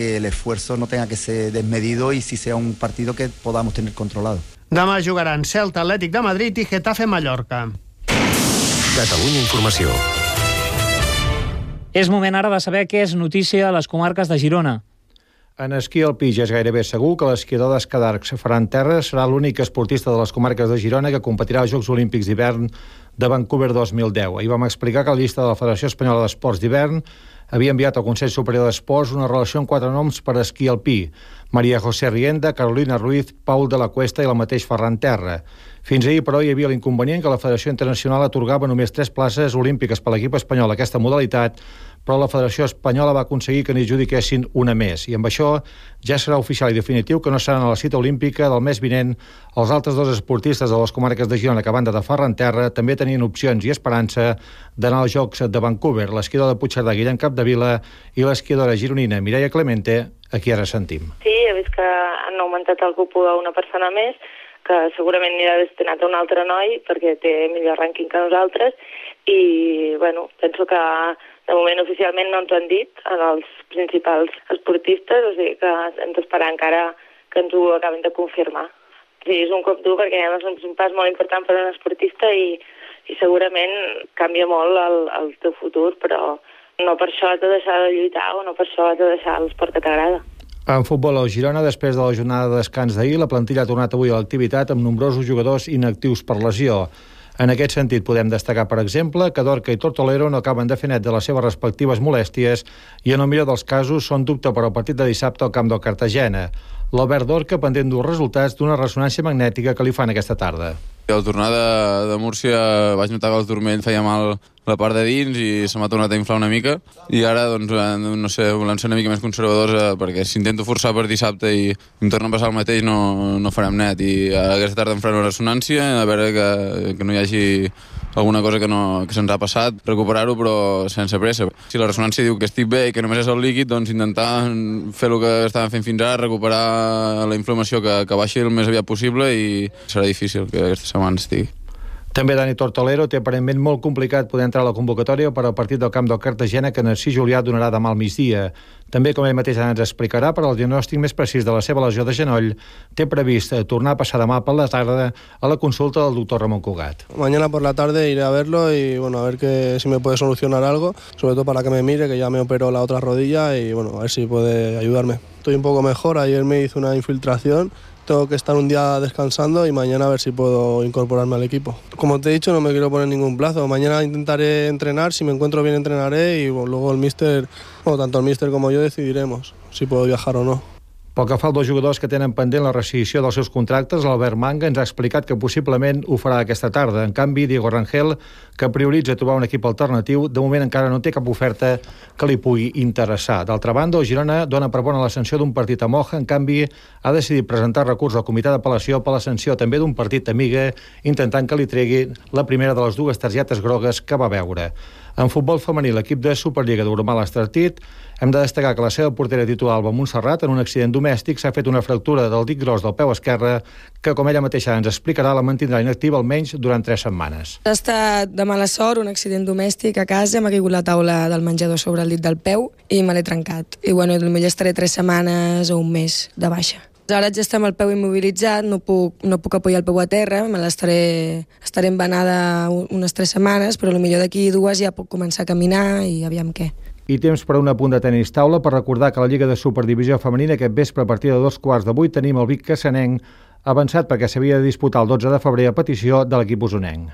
el esfuerzo no tenga que ser desmedido y si sea un partido que podamos tener controlado. Demà jugaran Celta, Atlètic de Madrid i Getafe, Mallorca. Catalunya Informació. És moment ara de saber què és notícia a les comarques de Girona. En esquí alpí ja és gairebé segur que l'esquiador d'Escadarcs, Ferran Terra, serà l'únic esportista de les comarques de Girona que competirà als Jocs Olímpics d'hivern de Vancouver 2010. Ahir vam explicar que la llista de la Federació Espanyola d'Esports d'Hivern havia enviat al Consell Superior d'Esports una relació amb 4 noms per esquí alpí: Maria José Rienda, Carolina Ruiz, Paul de la Cuesta i el mateix Ferran Terra. Fins ahir, però, hi havia l'inconvenient que la Federació Internacional atorgava només 3 places olímpiques per l'equip espanyol a aquesta modalitat, però la Federació Espanyola va aconseguir que n'hi adjudiquessin una més, i amb això ja serà oficial i definitiu que no seran a la cita olímpica del mes vinent els altres 2 esportistes de les comarques de Girona que, a banda de Ferran Terra, també tenien opcions i esperança d'anar als Jocs de Vancouver: l'esquiador de Puigcerdà, Guillem Capdevila, i l'esquiadora gironina Mireia Clemente, a qui ara sentim. Sí, he vist que han augmentat el cupo a una persona més, que segurament anirà destinat a un altre noi perquè té millor rànquing que nosaltres, i bueno, penso que de moment oficialment no ens ho han dit en els principals esportistes, o sigui que hem d'esperar encara que ens ho acabin de confirmar. Sí, és un cop dur perquè és un pas molt important per a un esportista i segurament canvia molt el teu futur, però no per això has de deixar de lluitar o no per això has de deixar l'esport que t'agrada. En futbol, al Girona, després de la jornada de descans d'ahir, la plantilla ha tornat avui a l'activitat amb nombrosos jugadors inactius per lesió. En aquest sentit, podem destacar, per exemple, que Dorca i Tortolero no acaben de fer net de les seves respectives molèsties i, en el millor dels casos, són dubte per al partit de dissabte al camp del Cartagena. L'Albert Dorca pendent dels resultats d'una ressonància magnètica que li fan aquesta tarda. Al tornar de Múrcia vaig notar que el turmell feia mal la part de dins i se m'ha tornat a inflar una mica, i ara, doncs, no sé, volem ser una mica més conservadors perquè si intento forçar per dissabte i em torna a passar el mateix no farem net, i aquesta tarda em faré una ressonància a veure que no hi hagi alguna cosa que se'ns ha passat, recuperar-ho però sense pressa. Si la ressonància diu que estic bé i que només és el líquid, doncs intentar fer el que estàvem fent fins ara, recuperar la inflamació que baixi el més aviat possible, i serà difícil que aquesta setmana estigui. També Dani Tortolero té aparentment molt complicat poder entrar a la convocatòria per al partit del camp del Cartagena que Narcís Julià donarà demà al migdia. També, com ell mateix ens explicarà, per al diagnòstic més precís de la seva lesió de genoll, té previst tornar a passar demà per la tarda a la consulta del doctor Ramon Cugat. Mañana por la tarde iré a verlo y bueno, a ver si me puede solucionar algo, sobre todo para que me mire, que ya me operó la otra rodilla y bueno, a ver si puede ayudarme. Estoy un poco mejor, ayer me hizo una infiltración. Tengo que estar un día descansando y mañana a ver si puedo incorporarme al equipo. Como te he dicho, no me quiero poner ningún plazo. Mañana intentaré entrenar, si me encuentro bien entrenaré y bueno, luego tanto el míster como yo decidiremos si puedo viajar o no. Pel que fa als 2 jugadors que tenen pendent la rescissió dels seus contractes, l'Albert Manga ens ha explicat que possiblement ho farà aquesta tarda. En canvi, Diego Rangel, que prioritza trobar un equip alternatiu, de moment encara no té cap oferta que li pugui interessar. D'altra banda, el Girona dona per bona la sanció d'un partit a Moja, en canvi ha decidit presentar recurs al comitè d'apel·lació per la sanció també d'un partit a Miga, intentant que li tregui la primera de les 2 targetes grogues que va veure. En futbol femení, l'equip de Superliga d'Urmal Estartit, hem de destacar que la seva portera titular, Alba Montserrat, en un accident domèstic s'ha fet una fractura del dit gros del peu esquerre que, com ella mateixa ens explicarà, la mantindrà inactiva almenys durant 3 setmanes. Ha estat de mala sort, un accident domèstic a casa, m'ha caigut la taula del menjador sobre el dit del peu i me l'he trencat. I bueno, potser estaré 3 setmanes o un mes de baixa. Ara ja estem el peu immobilitzat, no puc apoyar el peu a terra, estaré embenada unes 3 setmanes, però potser d'aquí 2 ja puc començar a caminar i aviam què. I temps per a un apunt de tenis taula per recordar que a la Lliga de Superdivisió Femenina aquest vespre a partir de 7:15 tenim el Vic Cassanenc avançat perquè s'havia de disputar el 12 de febrer a petició de l'equip usonenc.